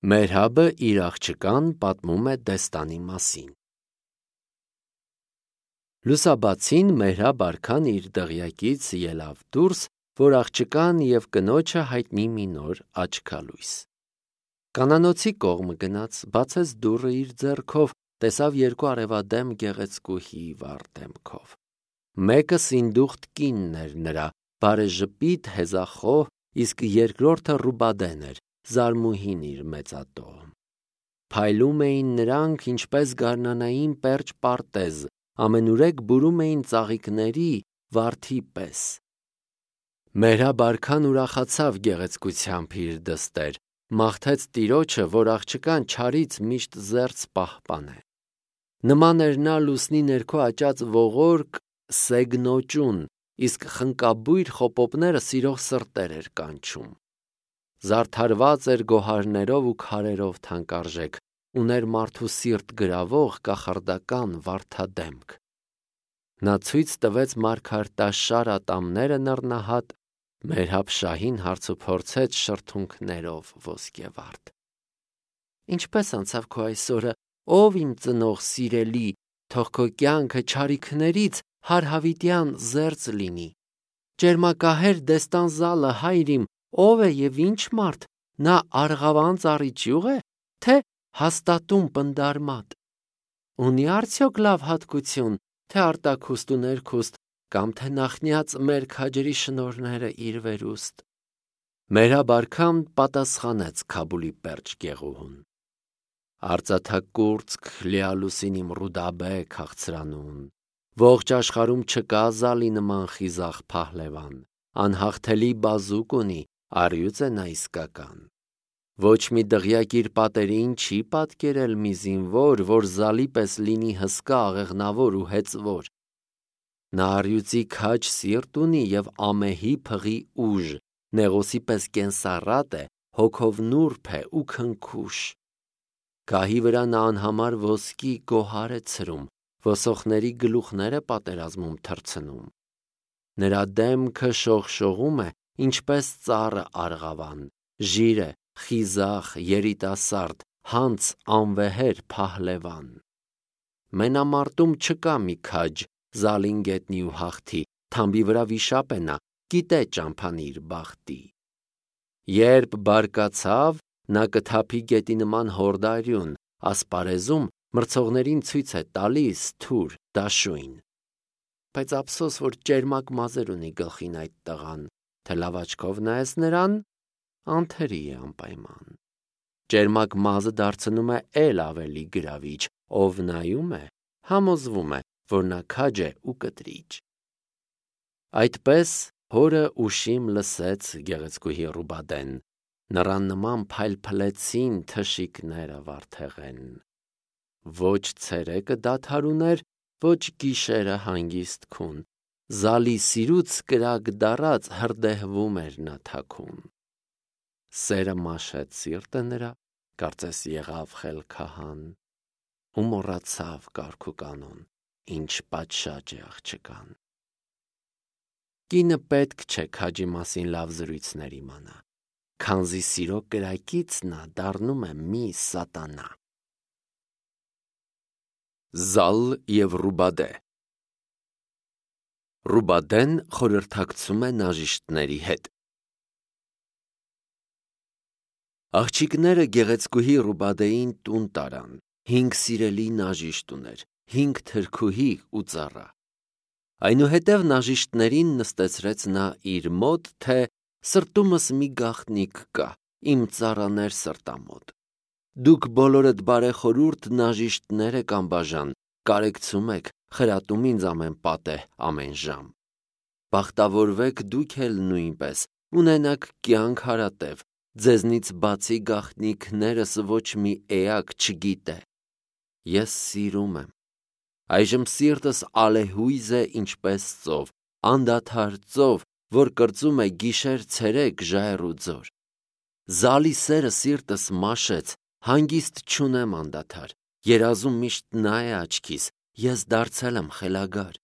Մերհաբը իր աղջկան պատմում է Դեստանի մասին։ Լուսաբացին Մերհաբ արքան իր դղյակից ելավ դուրս, որ աղջկան և կնոջը հայտնի մի նոր աչքալույս։ Կանանոցի կողմը գնաց, բացեց դուռը իր ձեռքով, տեսավ երկու արևադեմ գեղեցկուհի վառ դեմքով։ Մեկը սինդուխտ կինն էր նրա, բարեժպիտ հեզախոհ, իսկ երկրորդը Ռուբադեն էր, զարմուհին իր մեծատոհը։ Փայլում էին նրանք, ինչպես գարնանային պերճ պարտեզ, ամենուրեք բուրում էին ծաղիկների վարդի պես։ Մերհաբ արքան ուրախացավ գեղեցկությամբ իր դստեր, մաղթեց Տիրոջը, որ աղջկան չարից միշտ զերծ պահպանե։ Նման էր նա լուսնի ներքո աճած ողորկ սեգնոճուն, իսկ խնկաբույր խոպոպները սիրող սրտեր էր կանչում։ Զարդարված էր գոհարներով ու քարերով թանկարժեք, ուներ մարդու սիրտ գրավող կախարդական վարդադեմք։ Նա ցույց տվեց մարգարտաշար ատամները նռնահատ, Մերհաբ շահին հարցուփորձեց շրթունքներով ոսկեվարդ։ Ինչպե՞ս անցավ քո այսօրը, ով իմ ծնող սիրելի, թող քո կյանքը չարիքներից հարհավիտյան զերծ լինի։ Ճերմակահեր Դեստան զալը հայր իմ, ով է և ինչ մարդ, նա արգավան ծառի ճյուղ է, թե հաստատուն պնդարմատ։ Ունի արդյոք լավ հատկություն, թե արտաքուստ ու ներքուստ, կամ թե նախնյաց մեր քաջերի շնորհները իր վերուստ։ Մերհաբ արքան պատասխանեց Քաբուլի պերճ գեղուհուն. Արծաթակուրծք լիալուսին իմ Ռուդաբե քաղցրանուն, ողջ աշխարհում չկա զալի նման խիզախ փահլևան, անհաղթելի բազուկ ունի, առյուծ է նա իսկական։ Ոչ մի դղյակ իր պատերին չի պատկերել մի զինվոր, որ զալի պես լինի հսկա, աղեղնավոր ու հեծվոր։ Նա առյուծի քաջ սիրտ ունի և ամեհի փղի ուժ, նեղոսի պես կենսառատ է, հոգով նուրբ է ու քնքուշ։ Գահի վրա նա անհամար ոսկի գոհար է ցրում, ոսոխների գլուխներ է պատերազմում թռցնում։ Նրա դեմքը շողշողում է, ինչպես ծառը արգավան, ժիր է, խիզախ, երիտասարդ, հանց անվեհեր փահլևան։ Մենամարտում չկա մի քաջ, զալին գետնի ու հաղթի, թամբի վրա վիշապ է նա, գիտե ճամփան իր բախտի։ Երբ բարկացավ, նա կթափի գետի նման հորդարյուն, ասպարեզում մրցողներին ցույց է տալիս թուր, դաշույն։ Բայց ափսոս, որ ճերմակ մազեր ունի գլխին այդ տղան, թե լավ աչքով նայես նրան, անթերի է անպայման։ Ճերմակ մազը դարձնում է էլ ավելի գրավիչ, ով նայում է, համոզվում է, որ նա քաջ է ու կտրիճ։ Այդպես հորը ուշիմ լսեց գեղեցկուհի Ռուբադեն, նրան նման փայլփլեցին թշիկները վարդեղեն։ Ոչ ցերեկը դադարուներ, ոչ գիշերը հանգիստ քուն, զալի սիրուց կրակ դառած հրդեհվում էր նա թաքուն։ Սերը մաշեց սիրտը նրա, կարծես եղավ խելքահան, ու մոռացավ կարգ ու կանոն, ինչ պատշաճ է աղջկան։ Կինը պետք չէ քաջի մասին լավ զրույցներ իմանա, քանզի սիրո կրակից նա դառնում է մի սատանա։ Զալ և Ռուբադե։ Ռուբադեն խորհրդակցում է նաժիշտների հետ։ Աղջիկները գեղեցկուհի Ռուբադեին տուն տարան, 5 սիրելի նաժիշտ ուներ, 5 թրքուհի ու ծառա։ Այնուհետև նաժիշտներին նստեցրեց նա իր մոտ, թե սրտումս մի գաղտնիք կա, իմ ծառաներ սրտամոտ։ Դուք բոլորդ բարեխորհուրդ նաժիշտներ եք անբաժան, կարեկցում եք, խրատում ինձ ամեն պատեհ, ամեն ժամ։ Բախտավորվեք դուք էլ նույնպես, ունենաք կյանք հարատև, ձեզնից բացի գաղտնիքներս ոչ մի էակ չգիտե։ Ես սիրում եմ։ Այժմ սիրտս ալեհույզ է ինչպես ծով, անդադար ծով, որ կրծում է գիշեր-ցերեկ ժայռ ու ձոր։ Զալի սերը սիրտս մաշեց, հանգիստ չունեմ անդադար, երազում միշտ նա է աչքիս, ես դարձել եմ խելագար։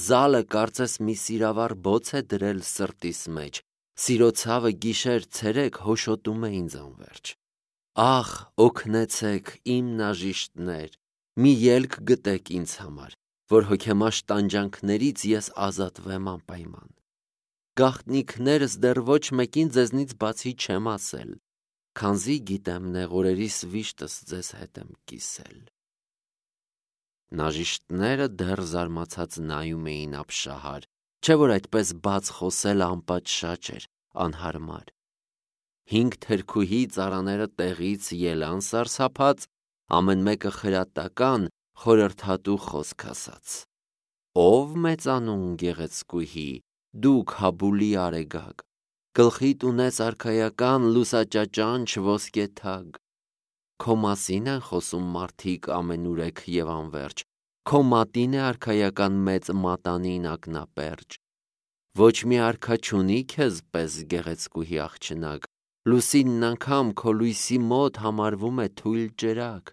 Զալը կարծես մի սիրավառ բոց է դրել սրտիս մեջ, սիրո ցավը գիշեր-ցերեկ հոշոտում է ինձ անվերջ։ Ախ, օգնեցեք իմ նաժիշտներ, մի ելք գտեք ինձ համար, որ հոգեմաշ տանջանքներից ես ազատվեմ անպայման։ Գաղտնիքներս դեռ ոչ մեկին ձեզնից բացի չեմ ասել, քանզի գիտեմ նեղորերիս վիշտս ձեզ հետ եմ կիսել։ Նաժիշտները դեռ զարմացած նայում էին ապշահար, չէ որ այդպես բաց խոսելը անպատշաճ էր, անհարմար։ 5 թրքուհի ծառաները տեղից ելան սարսափած, ամեն մեկը խրատական, խորհրդատու խոսք ասաց։ Ով մեծանուն գեղեցկուհի, դու Քաբուլի արեգակ, գլխիդ ունես արքայական լուսաճաճանչ ոսկե թագ, քո մասին են խոսում մարդիկ ամենուրեք և անվերջ, քո մատին է արքայական մեծ մատանին ակնապերճ, ոչ մի արքա չունի քեզ պես գեղեցկուհի աղջնակ, լուսինն անգամ քո լույսի մոտ համարվում է թույլ ջրակ,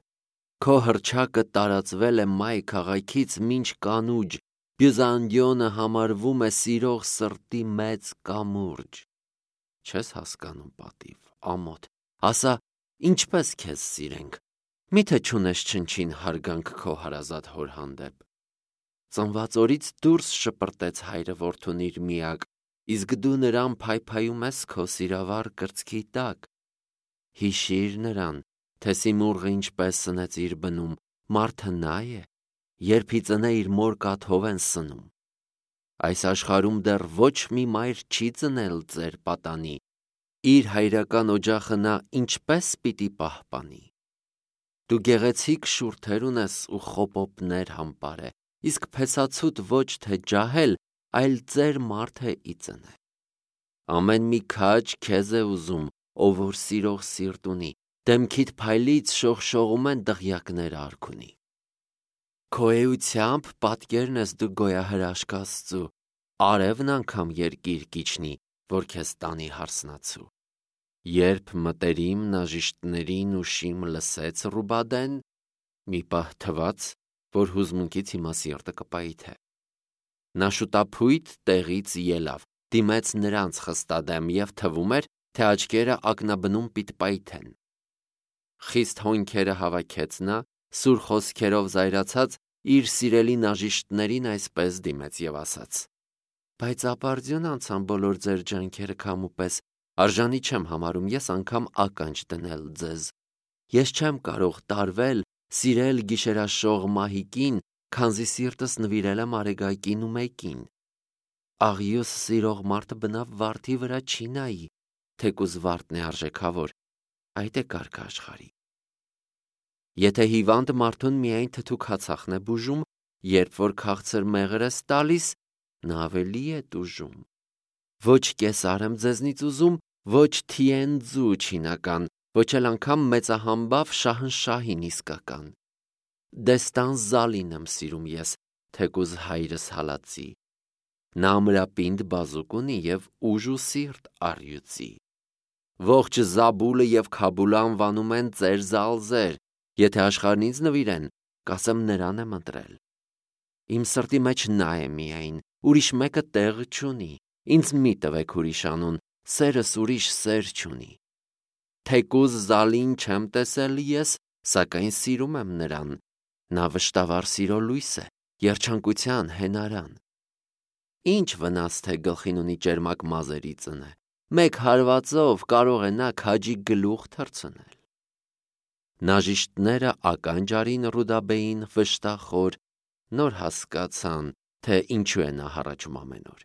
քո հռչակը տարածվել է Մայ քաղաքից մինչ Կանուջ, Բյուզանդիոնը համարվում է սիրող սրտի մեծ կամուրջ։ Չես հասկանում պատիվ, ամոթ, ասա, ինչպես քեզ սիրենք, միթե չունես չնչին հարգանք քո հարազատ հոր հանդեպ։ Ծնված օրից դուրս շպրտեց հայրը որդուն իր միակ, իսկ դու նրան փայփայում ես քո սիրավառ կրծքի տակ։ Հիշիր նրան, թե Սիմուրղը ինչպես սնեց իր բնում, մարդը նա է, երբ ի ծնե իր մոր կաթով են սնում։ Այս աշխարհում դեռ ոչ մի մայր չի ծնել ձեր պատանի, իր հայրական օջախը նա ինչպես պիտի պահպանի։ Դու գեղեցիկ շուրթեր ունես ու խոպոպներ համպարե, իսկ փեսացուդ ոչ թե ջահել, այլ ծեր մարդ է ի ծնե։ Ամեն մի քաջ քեզ է ուզում, ով որ սիրող սիրտ ունի, դեմքիդ փայլից շողշողում են դղյակներ արքունի։ Քո էությամբ պատկերն ես դու գոյահրաշք Աստծու, արևն անգամ երկիր կիջնի, որ քեզ տանի հարսնացու։ Երբ մտերիմ նաժիշտներին ուշիմ լսեց Ռուբադեն, մի պահ թվաց, որ հուզմունքից հիմա սիրտը կպայթե։ Նա շուտափույթ տեղից ելավ, դիմեց նրանց խստադեմ և թվում էր, թե աչքերը ակնաբնում պիտպայթեն։ Խիստ հոնքերը հավաքեց նա, սուր խոսքերով զայրացած, իր սիրելի նաժիշտներին այսպես դիմեց և ասաց. Բայց ապարդյուն անցան բոլոր ձեր ջանքերը քամու պես, արժանի չեմ համարում ես անգամ ականջ դնել ձեզ։ Ես չեմ կարող տարվել, սիրել գիշերաշող մահիկին, քանզի սիրտս նվիրել եմ արեգակին ու մեկին։ Աղյուս սիրող մարդը բնավ վարդի վրա չի նայի, թեկուզ վարդն է արժեքավոր, այդ է կարգը աշխարհի։ Եթե հիվանդ մարդուն միայն թթու քացախն է բուժում, երբ որ քաղցր մեղր ես տալիս, նա ավելի է տուժում։ Ոչ կեսար եմ ձեզնից ուզում, ոչ թիենձու չինական, ոչ էլ անգամ մեծահամբավ շահնշահին իսկական։ Դեստան Զալին եմ սիրում ես, թեկուզ հայրս հալածի։ Նա ամրապինդ բազուկ ունի և ուժ ու սիրտ առյուծի։ Ողջ Զաբուլը և Քաբուլը անվանում են ծեր Զալզեր, եթե աշխարհն ինձ նվիրեն, կասեմ նրան եմ ընտրել։ Իմ սրտի մեջ նա է միայն, ուրիշ մեկը տեղ չունի, ինձ մի տվեք ուրիշ անուն, սերս ուրիշ սեր չունի։ Թեկուզ Զալին չեմ տեսել ես, սակայն սիրում եմ նրան, նա վշտավառ սիրո լույս է, երջանկության հենարան։ Ինչ վնաս թե գլխին ունի ճերմակ մազերի ծնե, մեկ հարվածով կարող է նա քաջի գլուխ թռցնել։ Նաժիշտները ականջ արին Ռուդաբեին վշտախոր, նոր հասկացան, թե ինչու է նա հառաչում ամեն օր։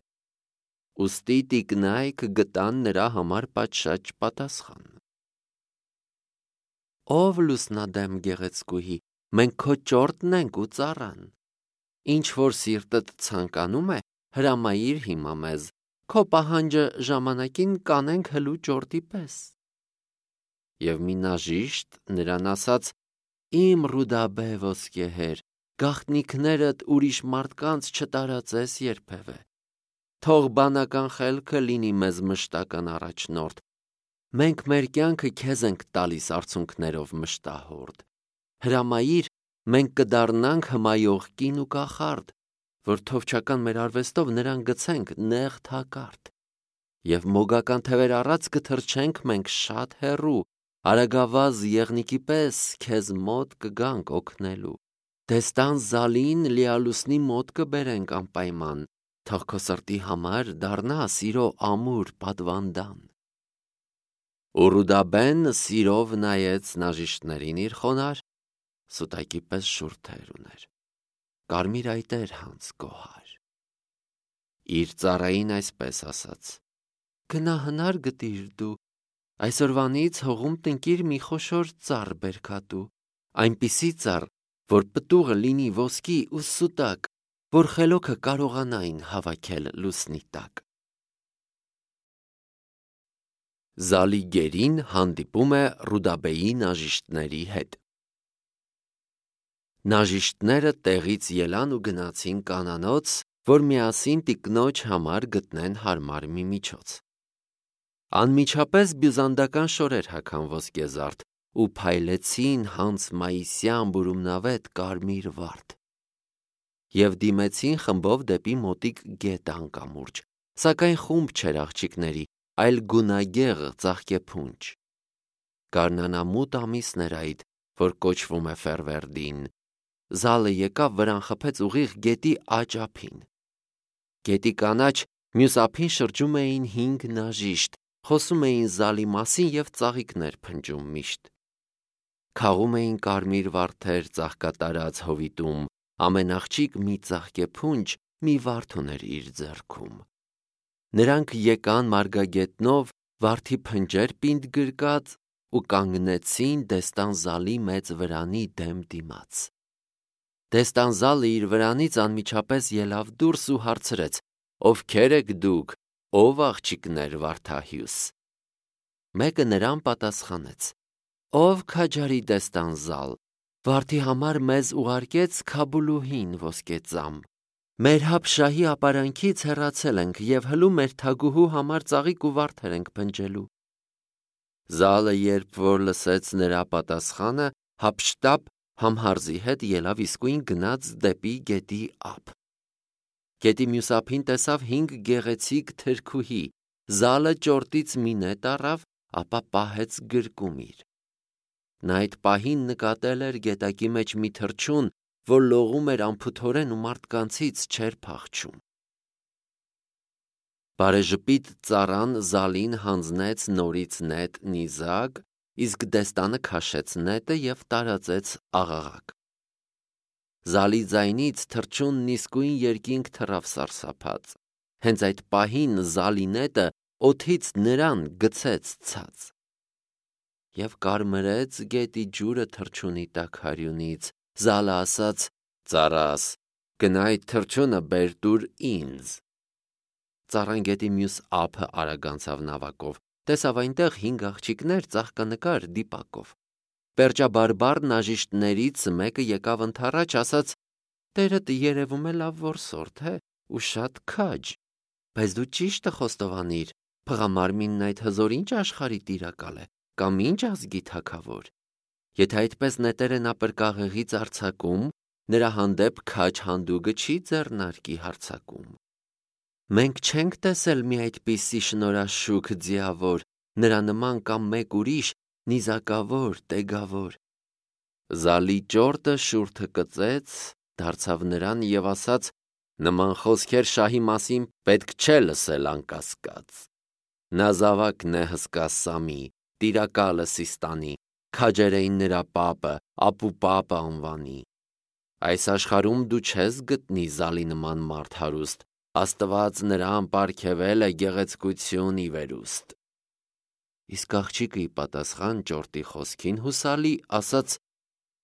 Ուստի տիկնայք գտան նրա համար պատշաճ պատասխան։ Ով լուսնադեմ գեղեցկուհի, մենք քո ճորտն ենք ու ծառան։ Ինչ որ սիրտդ ցանկանում է, հրամայիր հիմա մեզ, քո պահանջը ժամանակին կանենք հլու ճորտի պես։ Եվ մի նաժիշտ նրան ասաց. Իմ Ռուդաբե ոսկեհեր, գաղտնիքներդ ուրիշ մարդկանց չտարածես երբևէ։ Թող բանական խելքը լինի մեզ մշտական առաջնորդ։ Մենք մեր կյանքը քեզ ենք տալիս արցունքներով մշտահորդ։ Հրամայիր, մենք կդառնանք հմայող կին ու կախարդ, որ թովչական մեր արվեստով նրան գցենք նեղ թակարդ։ Եվ մոգական թևեր առած կթռչենք մենք շատ հեռու, Արագավազ եղնիկի պես քեզ մոտ կգանք օգնելու։ Դեստան զալին լիալուսնի մոտ կբերենք անպայման, թող քո սրտի համար դառնա սիրո ամուր պատվանդան։ Ու Ռուդաբեն սիրով նայեց նաժիշտներին իր խոնար, սուտակի պես շուրթեր ուներ, կարմիր այտեր հանց գոհար։ Իր ծառային այսպես ասաց. «Գնա հնար գտիր դու, այսօրվանից հողում տնկիր մի խոշոր ծառ բերքատու, այնպիսի ծառ, որ պտուղը լինի ոսկի ու սուտակ, որ խելոքը կարողանային հավաքել լուսնի տակ»։ Զալի գերին հանդիպում է Ռուդաբեի նաժիշտների հետ։ Նաժիշտները տեղից ելան ու գնացին կանանոց, որ միասին տիկնոջ համար գտնեն հարմար մի միջոց։ Անմիջապես բյուզանդական շորեր հագան ոսկեզարդ ու փայլեցին հանց մայիսյան բուրումնավետ կարմիր վարդ և դիմեցին խմբով դեպի մոտիկ գետ անկամուրջ, սակայն խումբ չէր աղջիկների, այլ գունագեղ ծաղկեփունջ։ Գարնանամութ ամիսն էր այդ, որ կոչվում է Ֆերվերդին։ Զալը եկավ վրան խփեց ուղիղ գետի աջ ափին։ Գետի կանաչ մյուս ափին շրջում էին 5 նաժիշտ, խոսում էին Զալի մասին և ծաղիկներ փնջում միշտ։ Քաղում էին կարմիր վարդեր ծաղկատարած հովիտում, ամենաղջիկ մի ծաղկեփունջ մի վարդ ուներ իր ձեռքում։ Նրանք եկան մարգագետնով վարդի փնջեր պինդ գրկած ու կանգնեցին Դեստան Զալի մեծ վրանի դեմ դիմաց։ Դեստան Զալը իր վրանից անմիջապես ելավ դուրս ու հարցրեց. «Ովքեր եք դուք, ով աղջիկներ վարդահյուս»։ Մեկը նրան պատասխանեց. «Ով քաջարի Դեստան Զալ, վարդի համար մեզ ուղարկեց Քաբուլուհին ոսկեծամ։ Մեր հապշահի ապարանքից հեռացել ենք և հլու մեր թագուհու համար ծաղիկ ու վարդեր ենք փնջելու»։ Զալը, երբ որ լսեց նրա պատասխանը, հափշտապ համհարզի հետ ելավ իսկույն գնաց դեպի գետի ափ։ Գետի մյուս ափին տեսավ 5 գեղեցիկ թրքուհի։ Զալը ճորտից մի նետ առավ, ապա պահեց գրկում իր։ Նա այդ պահին նկատել էր գետակի մեջ մի թռչուն, որ լողում էր անփութորեն ու մարդկանցից չէր փախչում։ Բարեժպիտ ծառան Զալին հանձնեց նորից նետ նիզակ, իսկ Դեստանը քաշեց նետը և տարածեց աղաղակ։ Զալի ձայնից թռչունն իսկույն երկինք թռավ սարսափած։ Հենց այդ պահին Զալի նետը օդից նրան գցեց ցած և կարմրեց գետի ջուրը թռչունի տաքարյունից։ Զալը ասաց. «Ծառաս, գնա այդ թռչունը բեր տուր ինձ»։ Ծառան գետի մյուս ափը արագ անցավ նավակով, տեսավ այնտեղ 5 աղջիկներ ծաղկանկար դիպակով։ Պերճաբարբառ նաժիշտներից մեկը եկավ ընդառաջ, ասաց. «Տերդ երևում է լավ որսորդ է ու շատ քաջ, բայց դու ճիշտը խոստովանիր, փղամարմինն այդ հզոր ինչ աշխարհի տիրակալ է, կամ ինչ ազգի թագավոր։ Եթե այդպես նետեր են ապրկաղեղից արձակում, նրա հանդեպ քաջ հանդուգը չի ձեռնարկի հարձակում։ Մենք չենք տեսել մի այդպիսի շնորհաշուք ձիավոր, նրա նման կամ մեկ ուրիշ նիզակավոր, տեգավոր»։ Զալի ճորտը շուրթը կծեց, դարձավ նրան և ասաց. «Նման խոսքեր շահի մասին պետք չէ լսել անկասկած։ Նա զավակն է հսկա Սամի, տիրակալը Սիստանի, քաջեր էին նրա պապը, ապուպապը անվանի։ Այս աշխարհում դու չես գտնի Զալի նման մարդ հարուստ, Աստված նրան պարգևել է գեղեցկություն ի վերուստ»։ Իսկ աղջիկը ի պատասխան ճորտի խոսքին հուսալի ասաց.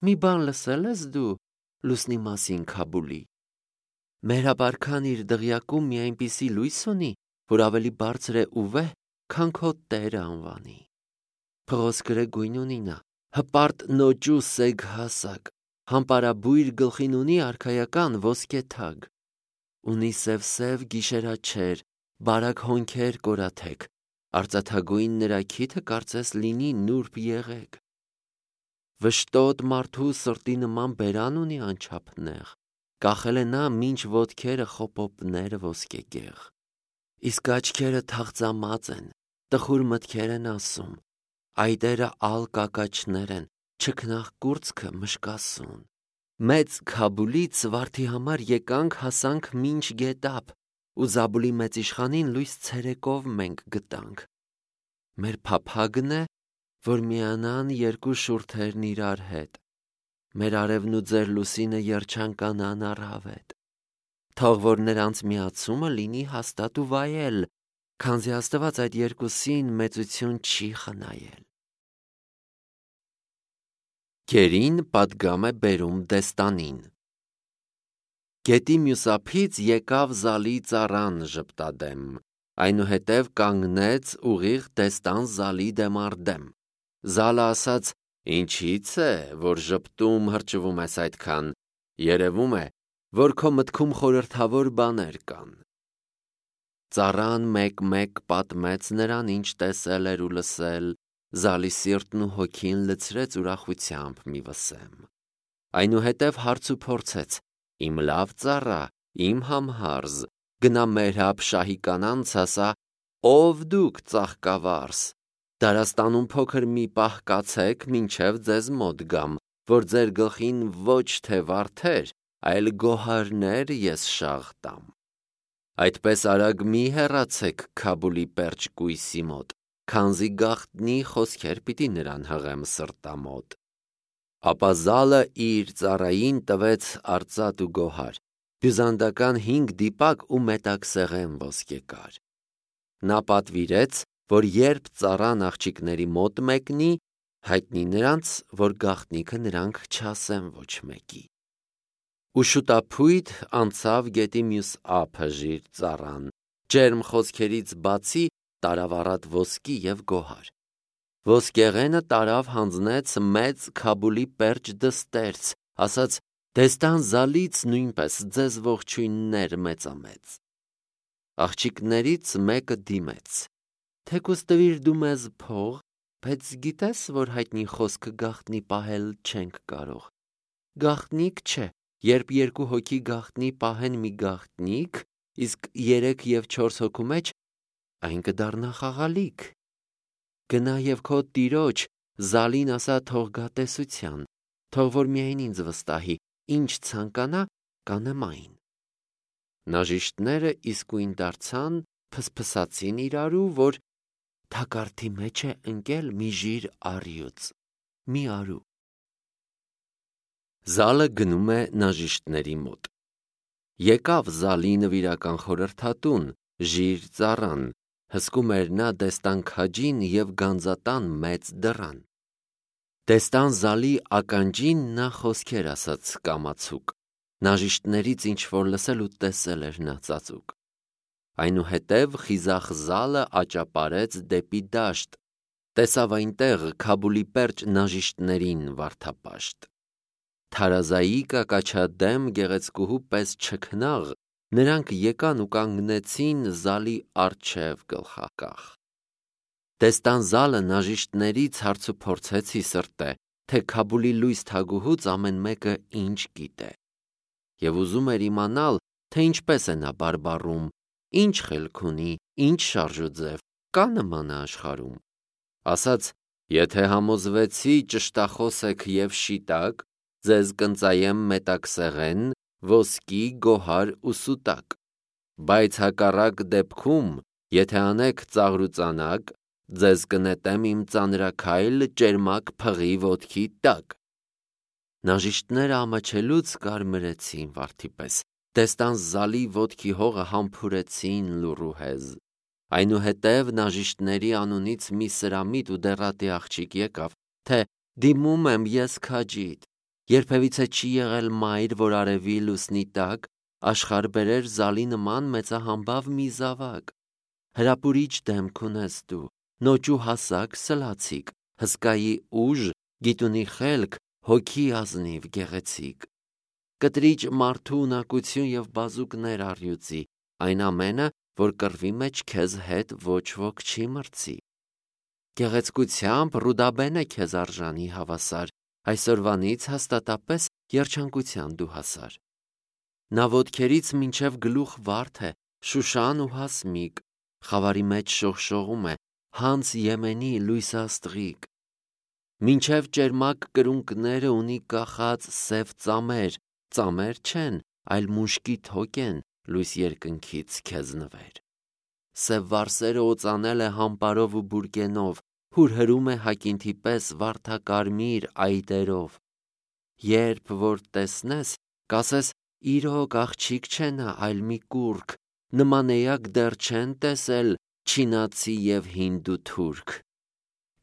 «Մի բան լսել ես դու լուսնի մասին Քաբուլի։ Մեր ապարքան իր դղյակում մի այնպիսի լույս ունի, որ ավելի բարձր է ու վեհ, քան քո Տերը անվանի։ Փղոսկրե գույն ունի նա, հպարտ նոճու սեգ հասակ, համպարաբույր գլխին ունի արքայական ոսկե թագ։ Ունի սև գիշերաչեր, բարակ հոնքեր կորաթեք, արծաթագույն նրա քիթը կարծես լինի նուրբ եղեգ։ Վշտոտ մարդու սրտի նման բերան ունի անչափ նեղ, կախել է նա մինչ ոտքերը խոպոպները ոսկեգեղ։ Իսկ աչքերը թաղծամած են, տխուր մտքեր են ասում, այդերը ալ կակաչներ են, չքնաղ կուրծքը մշկասուն։ Մեծ Քաբուլից վարդի համար եկանք հասանք մինչ գետապ, ու Զաբուլի մեծ իշխանին լույս ցերեկով մենք գտանք։ Մեր փափագն է, որ միանան երկու շուրթերն իրար հետ։ Մեր արևն ու ձեր լուսինը երջանկանան առհավետ։ Թող որ նրանց միացումը լինի հաստատ ու վայել, քանզի Աստված այդ երկուսին մեծություն չի խնայել։ Գերին պատգամ է բերում դեստանին։ Գետի մյուս ափից եկավ Զալի ծառան ժպտադեմ, այնուհետև կանգնեց ուղիղ դեստան Զալի դեմ առ դեմ։ Զալը ասաց. «Ինչի՞ց է, որ ժպտում հրճվում ես այդքան, երևում է, որ քո մտքում խորհրդավոր բաներ կան»։ Ծառան մեկ-մեկ պատմեց նրան, ինչ տեսել էր ու լսել։ Զալի սիրտն ու հոգին լցրեց ուրախությամբ մի վսեմ։ Այնուհետև հարց ու փորձեց. «Իմ լավ ծառա, իմ համհարզ, գնա Մերհաբ շահի կանանց ասա. ով դուք ծաղկավարս, դարաստանում փոքր մի պահ կացեք, մինչև ձեզ մոտ գամ, որ ձեր գլխին ոչ թե վարդեր, այլ գոհարներ ես շաղ տամ։ Այդպես արագ մի հեռացեք Քաբուլի պերճ կույսի մոտ, քանզի գաղտնի խոսքեր պիտի նրան հղեմ սրտամոտ»։ Ապա Զալը իր ծառային տվեց արծաթ ու գոհար, բյուզանդական 5 դիպակ ու մետաքսեղեն ոսկեկար։ Նա պատվիրեց, որ երբ ծառան աղջիկների մոտ մեկնի, հայտնի նրանց, որ գաղտնիքը նրանք չասեն ոչ մեկի։ Ու շուտափույթ անցավ գետի մյուս ափը ժիր ծառան, ջերմ խոսքերից բացի տարավ առատ ոսկի և գոհար։ Ոսկեղենը տարավ հանձնեց մեծ Քաբուլի պերճ դստերց, ասաց. «Դեստան Զալից նույնպես ձեզ ողջույններ մեծամեծ»։ Աղջիկներից մեկը դիմեց. «Թեկուզ տվիր դու մեզ փող, բայց գիտես, որ հայտնի խոսքը գաղտնի պահել չենք կարող։ Գաղտնիք չէ, երբ երկու հոգի գաղտնի պահեն մի գաղտնիք, իսկ 3 և 4 հոգու մեջ այն կդառնա խաղալիք։ Գնա և քո տիրոջ Զալին ասա թող գա տեսության, թող որ միայն ինձ վստահի, ինչ ցանկանա, կանեմ այն»։ Նաժիշտները իսկույն դարձան, փսփսացին իրարու, որ թակարդի մեջ է ընկել մի ժիր առյուծ, մի արու։ Զալը գնում է նաժիշտների մոտ։ Եկավ Զալի նվիրական խորհրդատուն, ժիր ծառան, հսկում էր նա դեստան քաջին և գանձատան մեծ դռան։ Դեստան Զալի ականջին նա խոսքեր ասաց կամացուկ, նաժիշտներից ինչ-որ լսել ու տեսել էր նա ծածուկ։ Այնուհետև խիզախ Զալը աճապարեց դեպի դաշտ, տեսավ այնտեղ Քաբուլի պերճ նաժիշտներին վարդապաշտ։ Թարազայի կակաչադեմ գեղեցկուհու պես չքնաղ, նրանք եկան ու կանգնեցին Զալի առջև գլխակախ։ Դեստան Զալը նաժիշտներից հարց ու փորձեցի սրտե, թե Քաբուլի լույս թագուհուց ամեն մեկը ինչ գիտե, և ուզում էր իմանալ, թե ինչպես է նա բարբառում, ինչ խելք ունի, ինչ շարժուձև, կա նմանը աշխարհում։ Ասաց. «Եթե համոզվեցի ճշտախոս եք և շիտակ, ձեզ կընծայեմ մետաքսեղեն, ոսկի, գոհար ու սուտակ։ Բայց հակառակ դեպքում, եթե անեք ծաղրուծանակ, ձեզ կնետեմ իմ ծանրաքայլ ճերմակ փղի ոտքի տակ»։ Նաժիշտները ամաչելուց կարմրեցին վարդի պես, դեստան Զալի ոտքի հողը համբուրեցին լուռուհեզ։ Այնուհետև նաժիշտների անունից մի սրամիտ ու դեռատի աղջիկ եկավ, թե «Դիմում եմ ես քաջիդ, երբևիցե չի եղել մայր, որ արևի լուսնի տակ աշխարհ բերեր Զալի նման մեծահամբավ մի զավակ։ Հրապուրիչ դեմք ունես դու, նոճու հասակ սլացիկ, հսկայի ուժ, գիտունի խելք, հոգի ազնիվ գեղեցիկ, կտրիճ մարդու ունակություն և բազուկներ առյուծի, այն ամենը, որ կռվի մեջ քեզ հետ ոչ ոք չի մրցի։ Գեղեցկությամբ Ռուդաբեն է քեզ արժանի հավասար, այսօրվանից հաստատապես երջանկության դու հասար։ Նա ոտքերից մինչև գլուխ վարդ է, շուշան ու հասմիկ, խավարի մեջ շողշողում է, հանց Եմենի լույսաստղիկ, մինչև ճերմակ կրունկները ունի կախած սև ծամեր չեն, այլ մուշկի թոք են լույս երկնքից քեզ նվեր։ Սև վարսերը օծանել է համպարով ու բուրկենով, հուրհրում է հակինթի պես վարդակարմիր այտերով։ Երբ որ տեսնես, կասես իրոք աղջիկ չէ նա, այլ մի կուռք, նման էակ դեռ չեն տեսել չինացի և հինդու թուրք։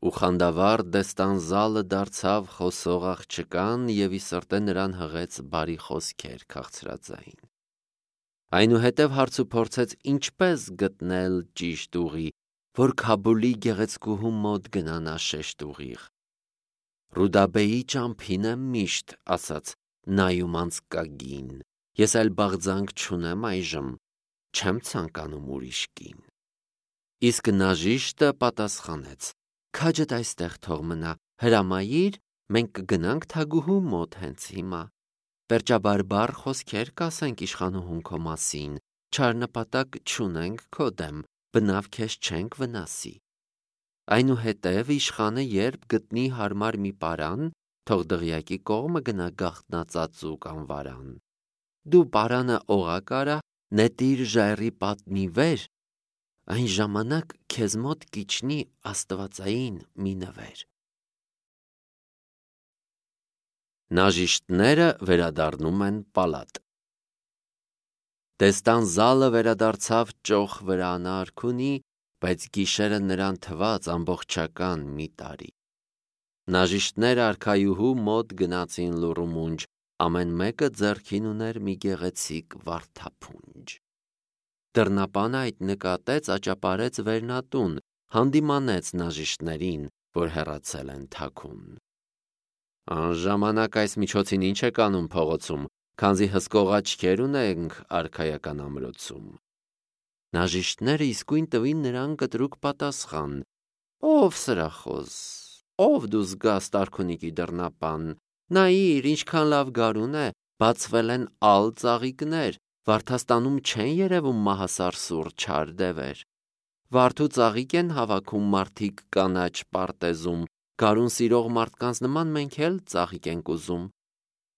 Ու խանդավառ դեստանզալը դարձավ խոսող աղջկան և ի սրտե նրան հղեց բարի խոսքեր քաղցրածային։ Այնուհետև հարցուփորձեց ինչպես գտնել ճիշտ ուղի, որ Քաբուլի գեղեցկուհու մոտ գնանա շեշտ ուղիղ։ Ռուդաբեի ճամփին եմ միշտ, ասաց նայում անցկագին, ես այլ բաղձանք չունեմ այժմ, չեմ ցանկանում ուրիշ կին։ Իսկ նաժիշտը պատասխանեց. քաջդ այստեղ թող մնա, հրամայիր, մենք կգնանք թագուհու մոտ հենց հիմա, պերճաբարբառ խոսքեր կասենք իշխանուհուն քո մասին, չար նպատակ չունենք քո դեմ, բնավ քեզ չենք վնասի։ Այնուհետև իշխանը երբ գտնի հարմար մի պարան, թող դղյակի կողմը գնա գաղտնածածուկ անվարան։ Դու պարանը օղակ արա, նետիր ժայռի պատնի վեր, այն ժամանակ քեզ մոտ կիջնի աստվածային մի նվեր։ Նաժիշտները վերադառնում են պալատ։ Դեստանզալը վերադարձավ ճոխ վրա արքունի, բայց գիշերը նրան թվաց ամբողջական մի տարի։ Նաժիշտները արքայուհու մոտ գնացին լուռումունջ, ամեն մեկը ձեռքին ուներ մի գեղեցիկ վարդափունջ։ Դռնապանը այդ նկատեց, աճապարեց վերնատուն, հանդիմանեց նաժիշտներին, որ հեռացել են թաքուն։ Անժամանակ այս միջոցին ինչ եք անում փողոցում, քանզի հսկող աչքեր ունենք արքայական ամրոցում։ Նաժիշտները իսկույն տվին նրան կտրուկ պատասխան. Ով սրախոս, ով դու զգաստ արքունիքի դռնապան, նայիր ինչքան լավ գարուն է, բացվել են ալ ծաղիկներ, Վարդաստանում չեն երևում մահասար սուր չար դևեր։ Վարդու ծաղիկ են հավաքում մարդիկ կանաչ պարտեզում, գարուն սիրող մարդկանց նման մենք էլ ծաղիկ ենք ուզում։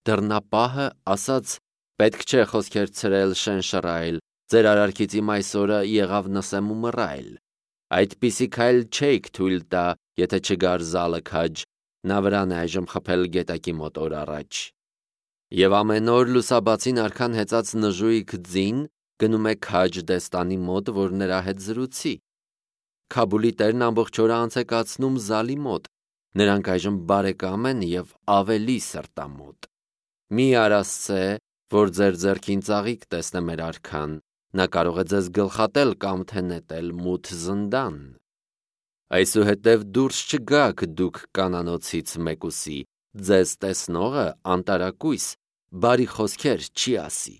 Դռնապահը ասաց. պետք չէ խոսքեր ցրել շեն շռայլ, ձեր արարքից իմ այսօրը եղավ նսեմ ու մռայլ։ Այդպիսի քայլ չէիք թույլ տա, եթե չգար զալը քաջ, նա վրան է այժմ խփել գետակի մոտ օր առաջ։ Եվ ամեն օր լուսաբացին արքան հեծած նժույգ ձին գնում է քաջ դեստանի մոտ, որ նրա հետ զրուցի։ Քաբուլի տերն ամբողջ օրը անց է կացնում զալի մոտ, նրանք այժմ բարեկամ են և ավելի սրտամոտ։ Մի արասցե, որ ձեր ձեռքին ծաղիկ տեսնե մեր արքան, նա կարող է ձեզ գլխատել կամ թե նետել մութ զնդան։ Այսուհետև դուրս չգաք դուք կանանոցից մեկուսի, ձեզ տեսնողը անտարակույս, բարի խոսքեր չի ասի։